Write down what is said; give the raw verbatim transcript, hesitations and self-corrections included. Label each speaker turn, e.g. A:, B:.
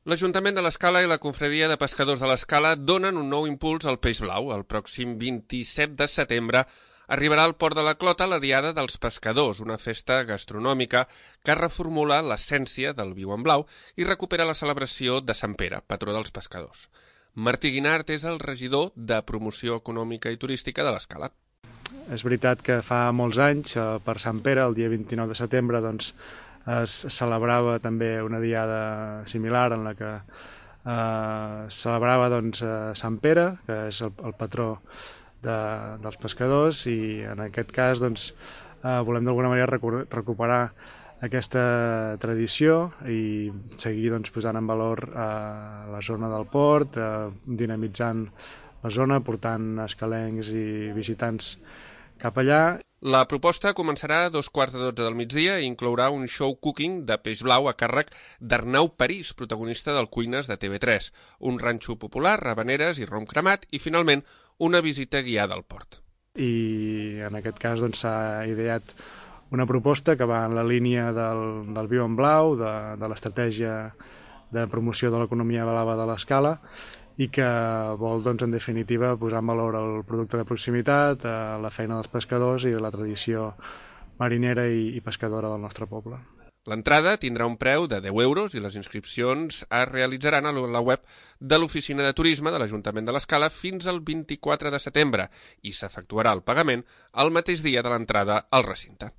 A: L'Ajuntament de l'Escala i la Confraria de Pescadors de l'Escala donen un nou impuls al peix blau. El pròxim vint-i-set de setembre arribarà al Port de la Clota la Diada dels Pescadors, una festa gastronòmica que reformula l'essència del viu en blau i recupera la celebració de Sant Pere, patró dels pescadors. Martí Guinart és el regidor de Promoció Econòmica i Turística de l'Escala.
B: És veritat que fa molts anys, per Sant Pere, el dia vint-i-nou de setembre, doncs, es celebrava també una diada similar en la que eh, celebrava doncs, Sant Pere, que és el, el patró de, dels pescadors, i en aquest cas doncs, eh, volem d'alguna manera recuperar aquesta tradició i seguir doncs, posant en valor eh, la zona del port, eh, dinamitzant la zona, portant escalencs i visitants cap allà.
A: La proposta començarà a dos quarts de dotze del migdia i inclourà un show cooking de peix blau a càrrec d'Arnau París, protagonista del Cuines de T V tres, un ranxo popular, habaneres i rom cremat i, finalment, una visita guiada al port.
B: I en aquest cas doncs, s'ha ideat una proposta que va en la línia del, del viu en blau, de, de l'estratègia de promoció de l'economia blava de l'Escala, i que vol, doncs, en definitiva, posar en valor el producte de proximitat, la feina dels pescadors i la tradició marinera i, i pescadora del nostre poble.
A: L'entrada tindrà un preu de deu euros i les inscripcions es realitzaran a la web de l'Oficina de Turisme de l'Ajuntament de l'Escala fins al vint-i-quatre de setembre i s'efectuarà el pagament el mateix dia de l'entrada al recinte.